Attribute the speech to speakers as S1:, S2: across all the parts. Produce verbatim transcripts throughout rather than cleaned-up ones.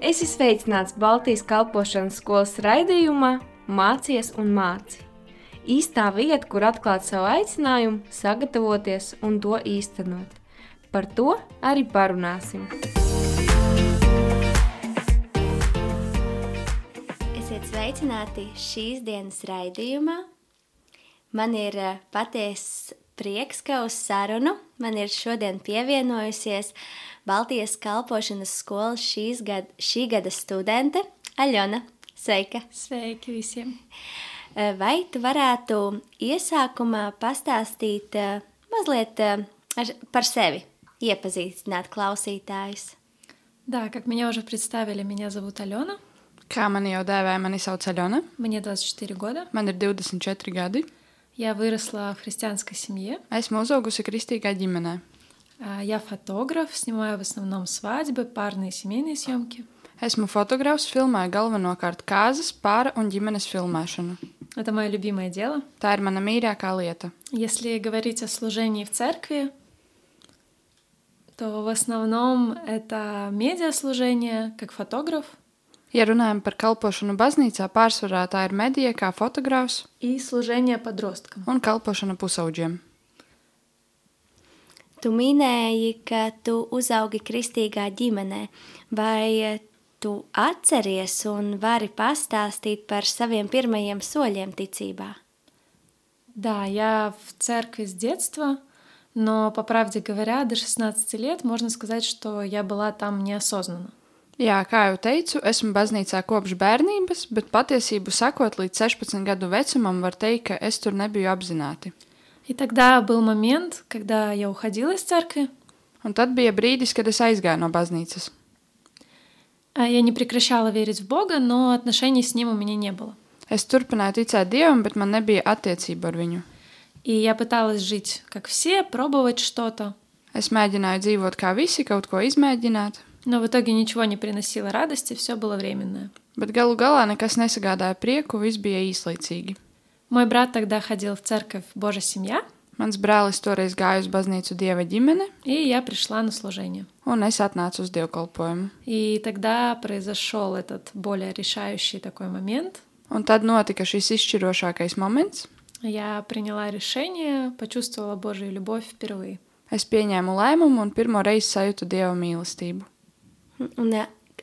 S1: Esi sveicināts Baltijas kalpošanas skolas raidījumā Mācies un māci. Īstā vieta, kur atklāt savu aicinājumu, sagatavoties un to īstenot. Par to arī parunāsim.
S2: Esiet sveicināti šīs dienas raidījumā. Man ir patiess prieks, ka uz sarunu man ir šodien pievienojusies Baltijas kalpošanas skolas šīs gada, šī gada studente Aļona. Sveika!
S3: Sveiki visiem!
S2: Vai tu varētu iesākumā pastāstīt mazliet par sevi, iepazīstināt klausītājus?
S3: Да, как меня уже представили, меня зовут Алена.
S4: Kā mani jau dēvēja, mani sauc Aļona.
S3: Мне двадцать четыре года.
S4: Man ir divdesmit četri gadi.
S3: Я выросла в христианской семье.
S4: Esmu uzaugusi kristīgā ģimenē.
S3: Я фотограф, снимаю в основном свадьбы, парные семейные съемки.
S4: Esmu fotogrāfs, filmēju galvenokārt kāzas, pāra un ģimenes filmēšanu.
S3: Это мое любимое дело.
S4: Tā ir mana mīļākā lieta.
S3: Если говорить о служении в церкви, то в основном это медиаслужение, как фотограф.
S4: Ja runājam par kalpošanu baznīcā, pārsvarā tā ir medija kā fotogrāfs
S3: И служение подросткам.
S4: un kalpošana pusauģiem.
S2: Tu minēji, ka tu uzaugi kristīgā ģimenē. Vai tu atceries un vari pastāstīt par saviem pirmajiem soļiem ticībā?
S3: Да, я в церкви с детства, но, по правде говоря, до шестнадцати лет можно сказать, что я была там неосознанно.
S4: Jā, kā jau teicu, esmu baznīcā kopš bērnības, bet patiesību sakot, līdz sešpadsmit gadu vecumam var teikt, ka es tur nebiju apzināti.
S3: И тогда был момент, когда я уходила из церкви.
S4: Un tad bija brīdis, kad es aizgāju no baznīcas.
S3: Я не прекращала верить в Бога, но отношений с Ним у меня не было.
S4: Es turpināju ticēt Dievam, bet man nebija attiecība ar viņu.
S3: И я пыталась жить, как все, пробовать что-то.
S4: Es mēģināju dzīvot kā visi, kaut ko izmēģināt,
S3: Но в итоге ничего не приносило радости, все было временное.
S4: bet galu galā nekas nesagādāja prieku, viss bija īslaicīgi.
S3: Мой брат тогда ходил в церковь «Божья семья»,
S4: Mans brālis toreiz gāja uz baznīcu Dieva ģimene,
S3: и я пришла на служение.
S4: un es atnācu uz dievkalpojumu.
S3: И тогда произошел этот более решающий такой момент.
S4: Un tad notika šis izšķirošākais moments.
S3: Я приняла решение, почувствовала Божью любовь впервые.
S4: Es pieņēmu lēmumu un pirmo reizi sajūtu Dieva mīlestību.
S2: Un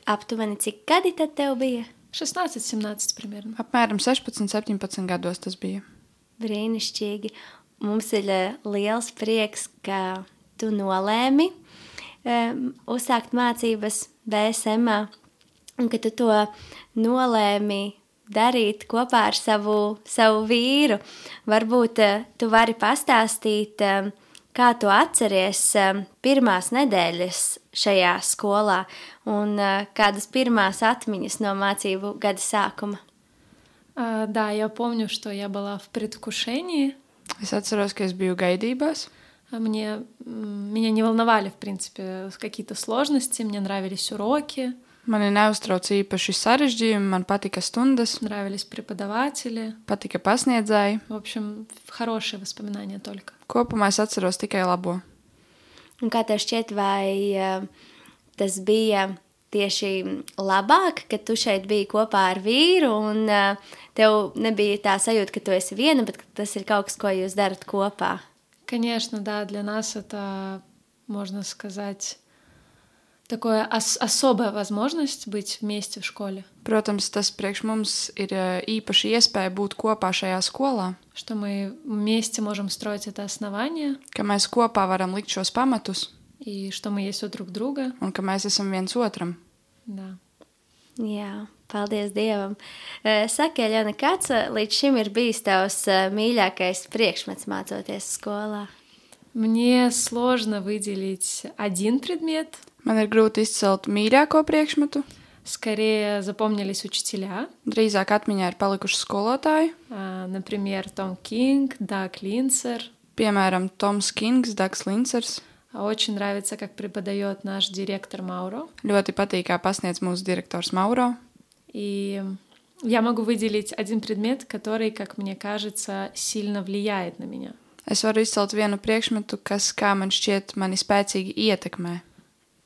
S2: aptuveni cik gadi tad tev bija?
S3: шестнадцать-семнадцать примерно.
S4: Apmēram sešpadsmit, septiņpadsmit gados tas bija.
S2: Brīnišķīgi. Mums ir liels prieks, ka tu nolēmi um, uzsākt mācības B S M-ā un ka tu to nolēmi darīt kopā ar savu, savu vīru. Varbūt uh, tu vari pastāstīt, um, kā tu atceries um, pirmās nedēļas šajā skolā un uh, kādas pirmās atmiņas no mācību gada sākuma.
S3: А, да, я помню, что я была в предвкушении.
S4: Es atceros, ka es biju gaidībās.
S3: А Мне, м, меня не волновали, в принципе, какие-то сложности, мне нравились уроки,
S4: Mani neuztrauca īpaši sarežģījumi, man patika stundas,
S3: нравились преподаватели.
S4: patika pasniedzēji.
S3: В общем, хорошие воспоминания только.
S4: Kopumā es atceros tikai labo.
S2: Un kā tev šķiet, vai uh, tas bija tieši labāk, ka tu šeit biji kopā ar vīru un uh, tev nebija tā sajūta, ka tu esi viena, bet ka tas ir kaut kas, ko jūs darat kopā?
S3: Конечно, да, для нас это, можно сказать, такая ос- особая возможность быть вместе в школе,
S4: Protams, tas priekš mums ir eh, īpaši iespēja būt kopā šajā skolā,
S3: что мы вместе можем строить это основание,
S4: ka mēs kopā varam likt šos pamatus
S3: и что мы есть у друг друга.
S4: un ka mēs esam viens otram.
S3: Да.
S2: Jā, paldies Dievam. Uh, Saki, Aļona, kāds uh, līdz šim ir bijis tavs uh, mīļākais priekšmets mācoties skolā?
S3: Мне сложно выделить один предмет.
S4: Man ir grūti izcelt mīļāko priekšmetu.
S3: Скорее запомнились учителя.
S4: Drīzāk atmiņā ir palikuši skolotāji,
S3: А, Например, Том Кинг, Даг Линцер.
S4: piemēram, Toms Kings, Dags Lincers.
S3: А Очень нравится, как преподает наш директор Мауро.
S4: Ļoti patīk, kā pasniedz mūsu direktors Mauro.
S3: И я могу выделить один предмет, который, как мне кажется, сильно влияет на меня.
S4: Es varu izcelt vienu priekšmetu, kas, kā man šķiet, mani spēcīgi ietekmē.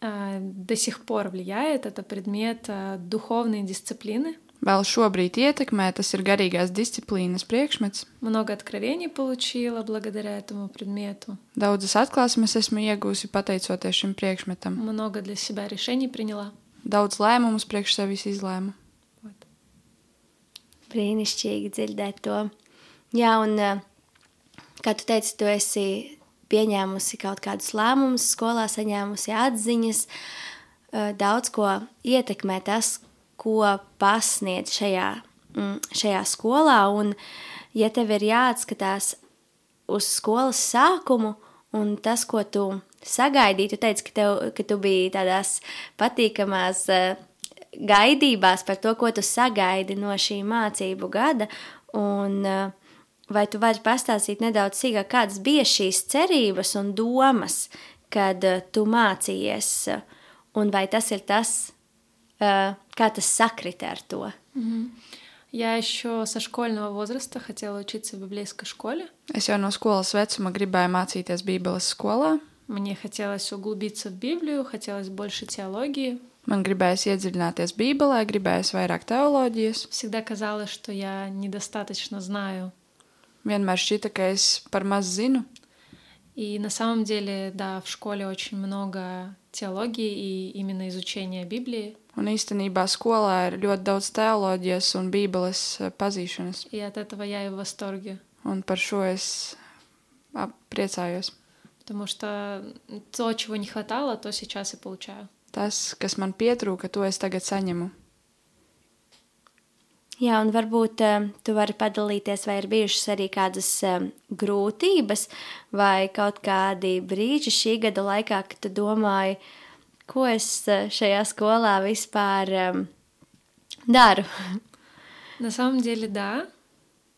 S3: А, До сих пор влияет. Это предмет а, духовной дисциплины.
S4: Vēl šobrīd ietekmē, tas ir garīgās disciplīnas priekšmets.
S3: Много откровений получила благодаря этому предмету.
S4: Daudzas atklāsmes esmu iegūsi pateicoties šim priekšmetam.
S3: Много для себя решений приняла.
S4: Daudz lēmumus priekš sevis izlēmu.
S3: Вот.
S2: Brīnišķīgi dzirdēt to. Jā, un uh, kā tu teici, tu esi pieņēmusi kaut kādus lēmumus, skolā saņēmusi atziņas, uh, daudz ko ietekmē tas, ko pasniedz šajā, mm, šajā skolā, un ja tev ir jāatskatās uz skolas sākumu un tas, ko tu sagaidīji, tu teici, ka, tev, ka tu biji tādās patīkamās uh, gaidībās par to, ko tu sagaidi no šī mācību gada, un uh, vai tu vari pastāstīt nedaudz sīkāk, kādas bija šīs cerības un domas, kad uh, tu mācījies, uh, un vai tas ir tas, uh, kā tas sakrita ar to?
S3: Мгм. Я еще со школьного возраста хотела учиться в библейской школе.
S4: Es jau no skolas vecuma gribēju mācīties Bībeles skolā.
S3: Мне хотелось углубиться в Библию, хотелось больше теологии.
S4: Man gribējās iedziļināties Bībelē, gribējās vairāk teoloģijas.
S3: Всегда казалось, что я недостаточно знаю.
S4: Vienmēr šķita, ka es par maz zinu.
S3: И на самом деле, да, в школе очень много теологии и именно изучения Библии.
S4: Un īstenībā skolā ir ļoti daudz teoloģijas un Bībeles eh, pazīšanas.
S3: И от этого я и в восторге.
S4: Un par šo es ap- priecājos.
S3: Потому что то, чего не хватало, то сейчас и получаю.
S4: Tas, kas man pietrūka, to es tagad saņemu.
S2: Jā, un varbūt um, tu vari padalīties, vai ir bijušas arī kādas um, grūtības vai kaut kādi brīži šī gada laikā, kad tu domāji, ko es uh, šajā skolā vispār um, daru.
S3: На самом деле, да.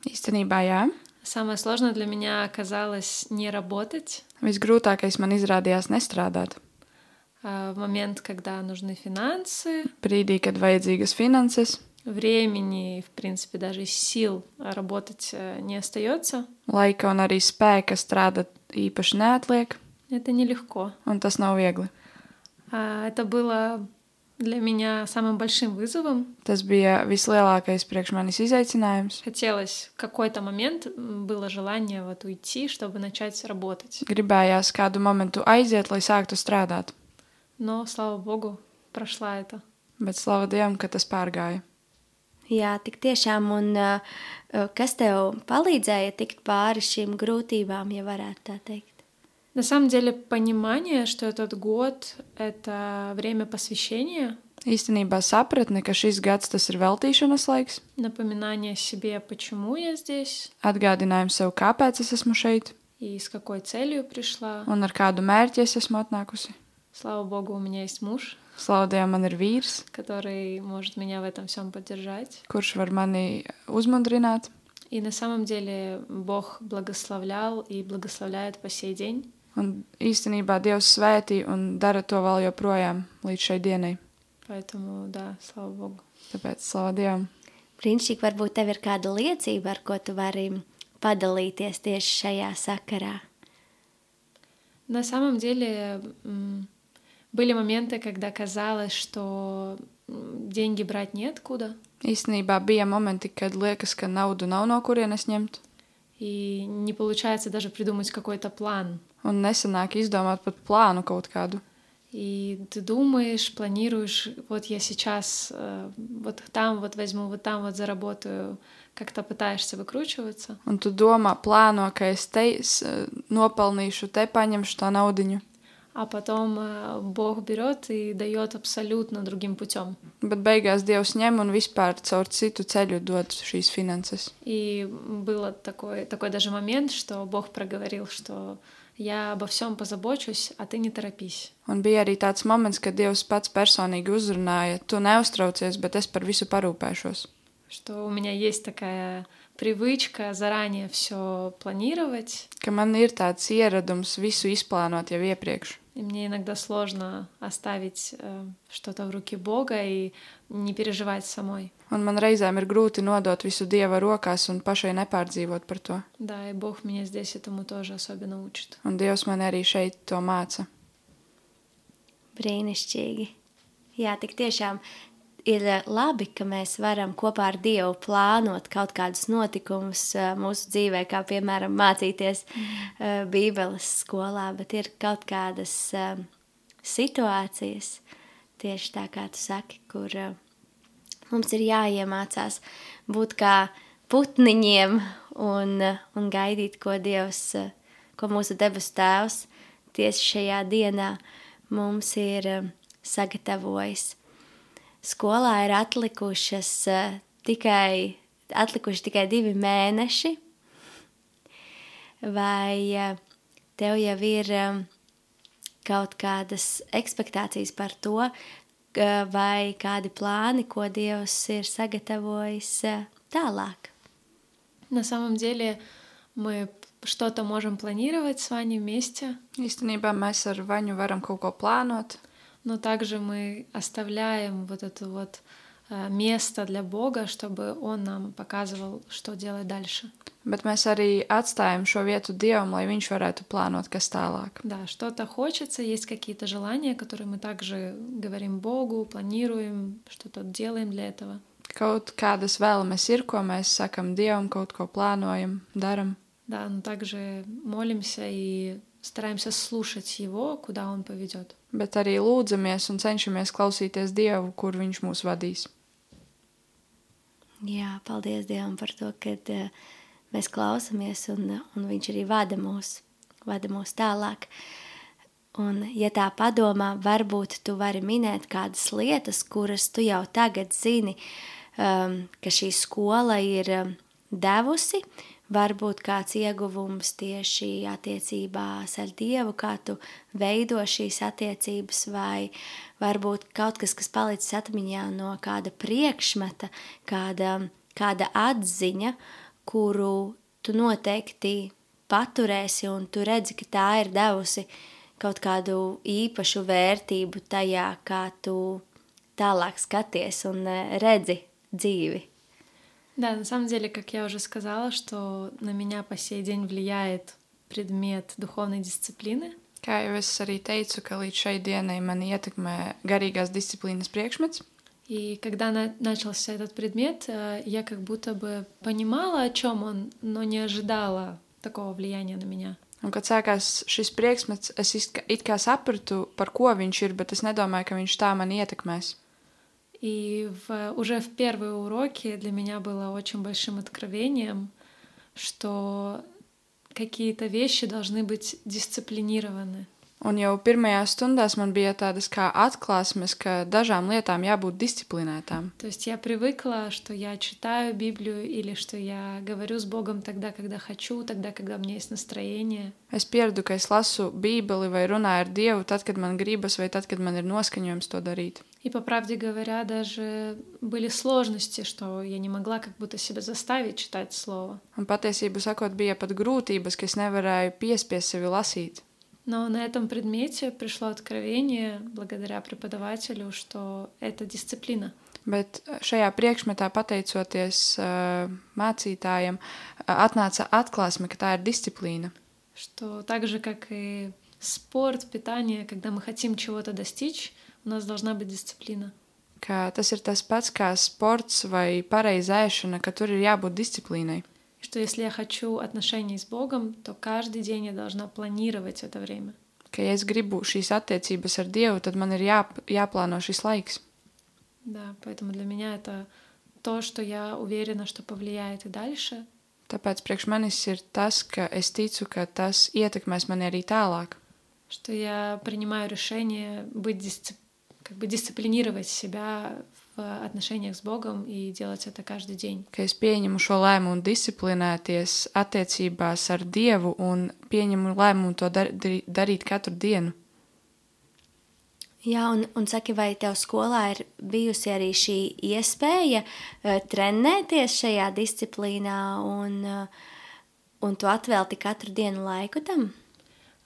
S4: Īstenībā, jā.
S3: Самое сложное для меня оказалось не работать.
S4: Visgrūtākais man izrādījās nestrādāt.
S3: А, В момент, когда нужны финансы,
S4: Brīdī, kad vajadzīgas finanses,
S3: времени, в принципе, даже сил работать э, не остается.
S4: laika un arī spēka strādāt īpaši neatliek,
S3: Это нелегко.
S4: un tas nav viegli.
S3: А, Это было для меня самым большим вызовом.
S4: Tas bija vislielākais priekš manis izaicinājums.
S3: Хотелось в какой-то момент, м, было желание вот уйти, чтобы начать работать.
S4: Gribējās kādu momentu aiziet, lai sāktu strādāt,
S3: Но, слава богу, прошла это.
S4: bet slava Dievam, ka tas pārgāja.
S2: Jā, tik tiešām, un uh, uh, kas tev palīdzēja tikt pāri šīm grūtībām, ja varētu tā teikt?
S3: На самом деле, понимание, что этот год — это время посвящения,
S4: Īstenībā sapratne, ka šis gads tas ir veltīšanas laiks,
S3: напоминание себе, почему я здесь
S4: atgādinājums sev, kāpēc es esmu šeit
S3: и с какой целью пришла.
S4: un ar kādu mērķi es esmu atnākusi.
S3: Слава богу, у меня есть муж,
S4: Slava Dievam, man ir vīrs,
S3: который может меня в этом всем поддержать.
S4: kurš var mani uzmundrināt.
S3: И на самом деле Бог благословлял и благословляет по сей день.
S4: Un īstenībā Dievs svētī un dara to vēl joprojām līdz šai dienai.
S3: Поэтому, да, слава богу.
S4: Tāpēc slava Dievam.
S2: Brīnišķīgi, varbūt tev ir kāda liecība, ar ko tu vari padalīties tieši šajā sakarā.
S3: На самом деле м, были моменты, когда казалось, что м, деньги брать неоткуда,
S4: Īstenībā bija momenti, kad liekas, ka naudu nav no kurienes ņemt,
S3: и не получается даже придумать какой-то план.
S4: un nesanāk izdomāt pat plānu kaut kādu.
S3: И ты думаешь, планируешь, вот я сейчас э, вот там вот возьму, вот там вот заработаю, как-то пытаешься выкручиваться.
S4: Un tu domā, plāno, ka es te s- nopelnīšu, te paņemšu to naudiņu,
S3: А потом э, Бог берет и дает абсолютно другим путем.
S4: bet beigās Dievs ņem un vispār caur citu ceļu dod šīs finanses.
S3: И было такой, такой даже момент, что Бог проговорил, что я обо всем позабочусь, а ты не торопись.
S4: Un bija arī tāds moments, kad Dievs pats personīgi uzrunāja, tu neuztraucies, bet es par visu parūpēšos.
S3: Что у меня есть такая привычка заранее все планировать,
S4: Ka man ir tāds ieradums visu izplānot jau iepriekš.
S3: и мне иногда сложно оставить э, что-то в руки Бога и не переживать самой.
S4: Un man reizēm ir grūti nodot visu Dieva rokās un pašai nepārdzīvot par to.
S3: Да, и Бог меня здесь этому тоже особенно учит.
S4: Un Dievs man arī šeit to māca.
S2: Brīnišķīgi. Jā, tik tiešām ir labi, ka mēs varam kopā ar Dievu plānot kaut kādus notikumus mūsu dzīvē, kā piemēram mācīties mm. Bībeles skolā, bet ir kaut kādas situācijas, tieši tā kā tu saki, kur mums ir jāiemācās būt kā putniņiem un, un gaidīt, ko Dievs, ko mūsu debesu Tēvs tieši šajā dienā mums ir sagatavojis. Skolā ir atlikušas uh, tikai, atlikuši tikai divi mēneši, vai uh, tev jau ir um, kaut kādas ekspektācijas par to, uh, vai kādi plāni, ko Dievs ir sagatavojis uh, tālāk?
S3: На самом деле мы что-то можем планировать с Ваней вместе.
S4: Īstenībā mēs ar Vaņu varam kaut ko plānot.
S3: Но также мы оставляем вот это вот э, место для Бога, чтобы Он нам показывал, что делать дальше.
S4: Bet mēs arī atstājam šo vietu Dievam, lai viņš varētu plānot, kas tālāk.
S3: Да, что-то хочется, есть какие-то желания, которые мы также говорим Богу, планируем, что-то делаем для этого.
S4: Kaut kādas vēlmes ir, ko mēs sakam Dievam, kaut ko plānojam, daram.
S3: Да, но также молимся и стараемся слушать Его, куда Он поведет.
S4: Bet arī lūdzamies un cenšamies klausīties Dievu, kur viņš mūs vadīs.
S2: Jā, paldies Dievam par to, ka uh, mēs klausamies un, un viņš arī vada mūs, vada mūs tālāk. Un, ja tā padomā, varbūt tu vari minēt kādas lietas, kuras tu jau tagad zini, um, ka šī skola ir um, devusi, varbūt kāds ieguvums tieši attiecībās ar Dievu, kā tu veido šīs attiecības, vai varbūt kaut kas, kas palicis atmiņā no kāda priekšmeta, kāda, kāda atziņa, kuru tu noteikti paturēsi un tu redzi, ka tā ir devusi kaut kādu īpašu vērtību tajā, kā tu tālāk skaties un redzi dzīvi.
S3: Да, на самом деле, как я уже сказала, что на меня по сей день влияет предмет духовной дисциплины.
S4: Kā jau es arī teicu, ka līdz šai dienai mani ietekmē garīgās disciplīnas priekšmets.
S3: И когда на- начался этот предмет, э, я как будто бы понимала, о чем он, но не ожидала такого влияния на меня.
S4: Un, kad sākās šis priekšmets, es it kā, it kā sapratu, par ko viņš ir, bet es nedomāju, ka viņš tā mani ietekmēs.
S3: И в, уже в первые уроки для меня было очень большим откровением, что какие-то вещи должны быть дисциплинированы.
S4: Un jau pirmajās stundās man bija tādas kā atklāsmes, ka dažām lietām jābūt disciplinētām.
S3: То есть я привыкла, что я читаю Библию или что я говорю с Богом тогда, когда хочу, тогда, когда у меня есть настроение.
S4: Es pieradu, ka es lasu Bībeli vai runāju ar Dievu tad, kad man gribas, vai tad, kad man ir noskaņojums to darīt.
S3: И, по правде говоря, даже были сложности, что я не могла как будто себя заставить читать Слово.
S4: Un patiesību sakot, bija pat grūtības, ka es nevarēju piespiest sevi lasīt.
S3: Но на этом предмете пришло откровение благодаря преподавателю, что это дисциплина.
S4: Bet šajā priekšmetā, pateicoties uh, mācītājiem, uh, atnāca atklāsme, ka tā ir disciplīna.
S3: Что так же, как и спорт, питание, когда мы хотим чего-то достичь, у нас должна быть дисциплина.
S4: Ka tas ir tas pats kā sports vai pareiza ēšana, ka tur ir jābūt disciplīnai.
S3: И что если я хочу отношений с Богом, то каждый день я должна планировать это время.
S4: Ka ja es gribu šīs attiecības ar Dievu, tad man ir jā, jāplāno šis laiks.
S3: Да, поэтому для меня это то, что я уверена, что повлияет и дальше.
S4: Tāpēc priekš manis ir tas, ka es ticu, ka tas ietekmēs mani arī tālāk.
S3: Что я принимаю решение быть дисцип... как бы дисциплинировать себя в отношениях с Богом и делать это каждый день.
S4: Ka es pieņemu šo lēmumu disciplinēties attiecībās ar Dievu un pieņemu lēmumu to dar, dar, darīt katru dienu.
S2: Jā, un, un saki, vai tev skolā ir bijusi arī šī iespēja uh, trenēties šajā disciplīnā un, uh, un tu atvēlti katru dienu laiku tam?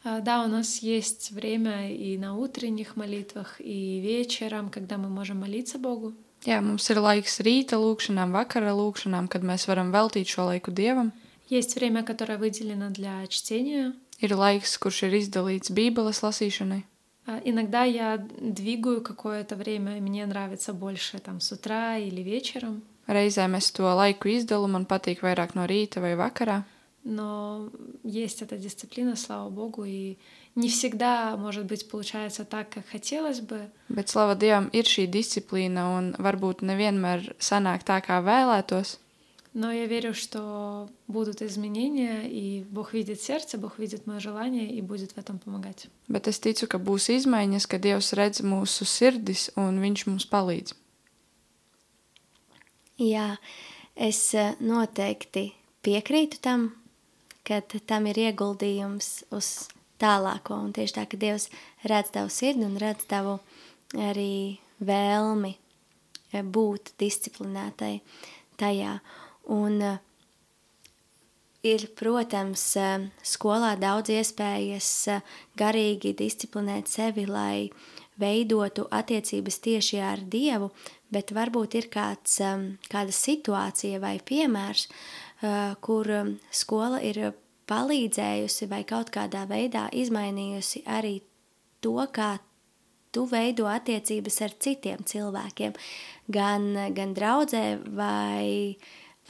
S3: А, Да, у нас есть время и на утренних молитвах, и вечером, когда мы можем молиться Богу.
S4: Jā, mums ir laiks rīta lūkšanām, vakara lūkšanām, kad mēs varam veltīt šo laiku Dievam.
S3: Есть время, которое выделено для чтения,
S4: Ir laiks, kurš ir izdalīts Bībeles lasīšanai.
S3: А, Иногда я двигаю какое-то время, и мне нравится больше там с утра или вечером,
S4: Reizēm es to laiku izdalu, man patīk vairāk no rīta vai vakarā,
S3: но есть эта дисциплина, слава богу, и не всегда, может быть, получается так, как хотелось бы,
S4: bet slava Dievam ir šī disciplīna un varbūt nevienmēr sanāk tā, kā vēlētos,
S3: но я верю, что будут изменения, и Бог видит сердце, Бог видит мое желание и будет в этом помогать.
S4: bet es ticu, ka būs izmaiņas, ka Dievs redz mūsu sirdis un Viņš mums palīdz.
S2: Jā, es eh, noteikti piekrītu tam, ka tam ir ieguldījums uz tālāko. Un tieši tā, ka Dievs redz tavu sirdi un redz tavu arī vēlmi eh, būt disciplinētai tajā. Un eh, ir, protams, eh, skolā daudz iespējas eh, garīgi disciplinēt sevi, lai veidotu attiecības tieši ar Dievu, bet varbūt ir kāds, um, kāda situācija vai piemērs, uh, kur um, skola ir palīdzējusi vai kaut kādā veidā izmainījusi arī to, kā tu veido attiecības ar citiem cilvēkiem, gan, gan draudzē vai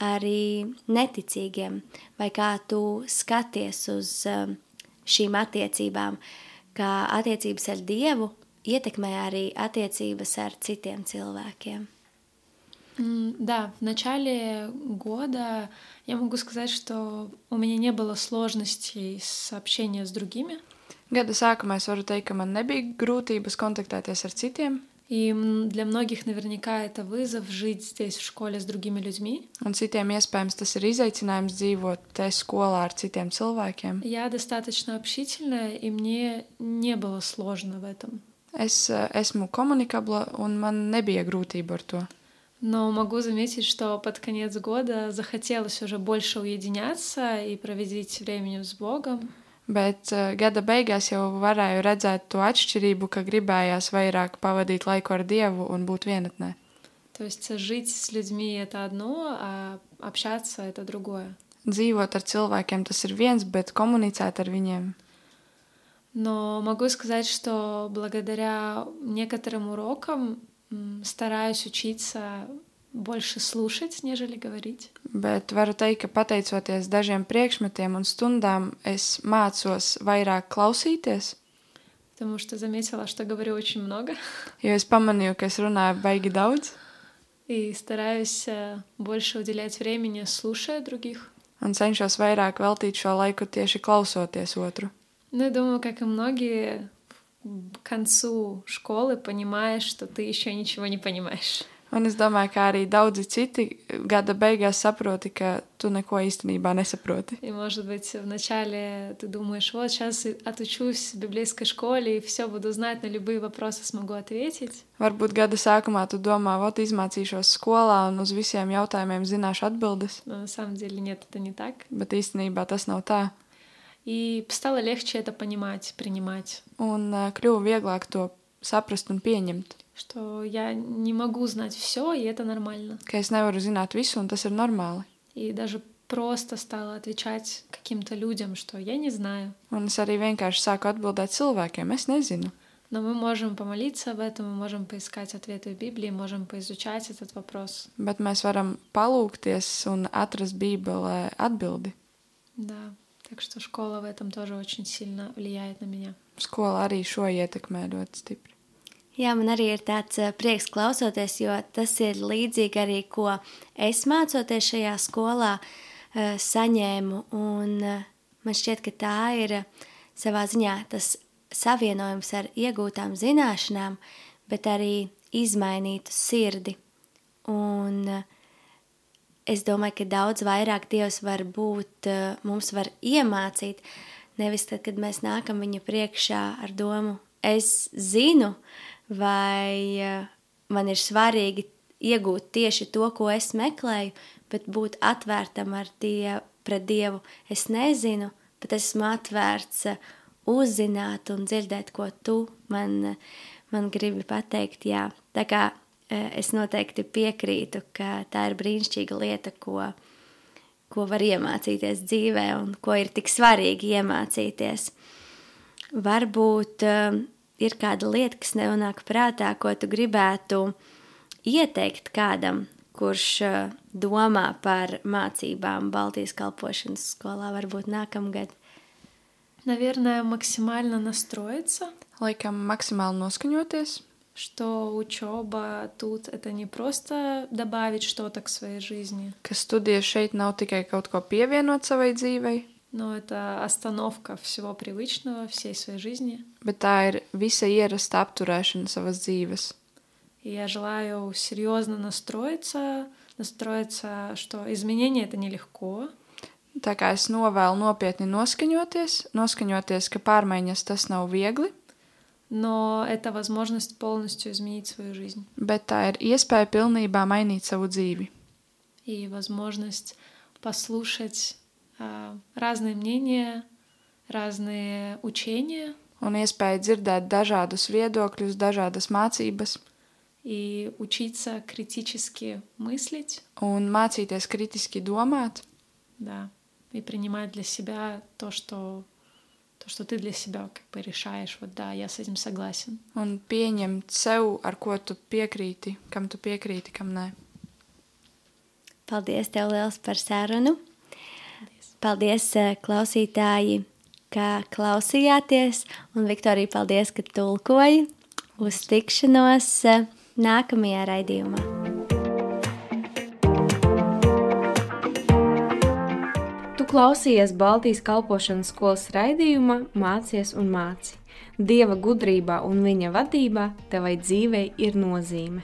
S2: arī neticīgiem, vai kā tu skaties uz um, šīm attiecībām, kā attiecības ar Dievu ietekmē arī attiecības ar citiem cilvēkiem.
S3: М, Да, в начале года я могу сказать, что у меня не было сложностей с общением с другими.
S4: Gada sākumā es varu teikt, ka man nebija grūtības kontaktēties ar citiem,
S3: И м, для многих наверняка это вызов жить здесь в школе с другими людьми.
S4: un citiem iespējams tas ir izaicinājums dzīvot te skolā ar citiem cilvēkiem.
S3: Я достаточно общительная, и мне не было сложно в этом.
S4: Es eh, esmu komunikabla un man nebija grūtība ar to.
S3: Но могу заметить, что под конец года захотелось уже больше уединяться и проводить время с Богом.
S4: Bet uh, gada beigās jau varēju redzēt to atšķirību, ka gribējās vairāk pavadīt laiku ar Dievu un būt vienatnē.
S3: То есть жить с людьми — это одно, а общаться — это другое.
S4: Dzīvot ar cilvēkiem tas ir viens, bet komunicēt ar viņiem.
S3: Но могу сказать, что благодаря некоторым урокам м, стараюсь учиться больше слушать, нежели говорить.
S4: Bet varu teikt, ka pateicoties dažiem priekšmetiem un stundām, es mācos vairāk klausīties,
S3: Потому что заметила, что говорю очень много.
S4: jo es pamanīju, ka es runāju baigi daudz,
S3: И стараюсь э, больше уделять времени, слушая других.
S4: un cenšos vairāk veltīt šo laiku tieši klausoties otru.
S3: Ну, я думаю, как и многие, к концу школы понимаешь, что ты еще ничего не понимаешь.
S4: Un es domāju, ka arī daudzi citi gada beigās saproti, ka tu neko īstenībā nesaproti.
S3: И, может быть, вначале ты думаешь, вот сейчас отучусь в библейской школе и все буду знать, на любые вопросы смогу ответить.
S4: Varbūt gada sākumā tu domā, vot izmācīšos skolā un uz visiem jautājumiem zināšu atbildes,
S3: Но на самом деле нет, это не так.
S4: bet īstenībā tas nav tā.
S3: И стало легче это понимать, принимать,
S4: Un uh, kļuva vieglāk to saprast un pieņemt,
S3: что я не могу знать все, и это нормально.
S4: ka es nevaru zināt visu, un tas ir normāli.
S3: И даже просто стала отвечать каким-то людям, что я не знаю.
S4: Un es arī vienkārši sāku atbildēt cilvēkiem, es nezinu.
S3: Но мы можем помолиться об этом, мы можем поискать ответы в Библии, можем поизучать этот вопрос.
S4: Bet mēs varam palūkties un atrast Bībelē atbildi.
S3: Да, так что школа в этом тоже очень сильно влияет на меня.
S4: Skola arī šo ietekmē ļoti stipri.
S2: Jā, man arī ir tāds eh, prieks klausoties, jo tas ir līdzīgi arī, ko es mācoties šajā skolā eh, saņēmu, un eh, man šķiet, ka tā ir eh, savā ziņā tas savienojums ar iegūtām zināšanām, bet arī izmainītu sirdi. Un eh, es domāju, ka daudz vairāk Dievs var būt, eh, mums var iemācīt, nevis tad, kad mēs nākam viņa priekšā ar domu, es zinu, vai uh, man ir svarīgi iegūt tieši to, ko es meklēju, bet būt atvērtam ar die, pret Dievu. Es nezinu, bet esmu atvērts uh, uzzināt un dzirdēt, ko tu man, uh, man gribi pateikt. Jā. Tā kā uh, es noteikti piekrītu, ka tā ir brīnišķīga lieta, ko, ko var iemācīties dzīvē un ko ir tik svarīgi iemācīties. Varbūt uh, ir kāda lieta, kas nenāk prātā, ko tu gribētu ieteikt kādam, kurš domā par mācībām Baltijas kalpošanas skolā, varbūt nākamgad?
S3: Наверное, максимально настроиться.
S4: Laikam maksimāli noskaņoties,
S3: что учеба тут это не просто добавить что-то к своей жизни,
S4: ka studijas šeit nav tikai kaut ko pievienot savai dzīvei,
S3: но это остановка всего привычного, всей своей жизни.
S4: bet tā ir visa ierasta apturēšana savas dzīves.
S3: И я желаю серьезно настроиться, настроиться, что изменения это нелегко,
S4: Tā kā es novēlu nopietni noskaņoties, noskaņoties, ka pārmaiņas tas nav viegli,
S3: но это возможность полностью изменить свою жизнь
S4: bet tā ir iespēja pilnībā mainīt savu dzīvi.
S3: и возможность послушать а, разные мнения, разные учения
S4: Un iespēja dzirdēt dažādus viedokļus, dažādas mācības
S3: и учиться критически мыслить,
S4: un mācīties kritiski domāt
S3: да, и принимать для себя то, что то, что ты для себя как бы решаешь. Вот да, я с этим согласен.
S4: un pieņemt sev, ar ko tu piekrīti, kam tu piekrīti, kam nē.
S2: Paldies tev liels par sarunu.
S3: Paldies.
S2: Paldies, eh, klausītāji, ka klausījāties. Un, Viktorija, paldies, ka tulkoji. Uz tikšanos eh, nākamajā raidījumā.
S1: Tu klausies Baltijas kalpošanas skolas raidījumā Mācies un māci. Dieva gudrībā un viņa vadībā tevai dzīvei ir nozīme.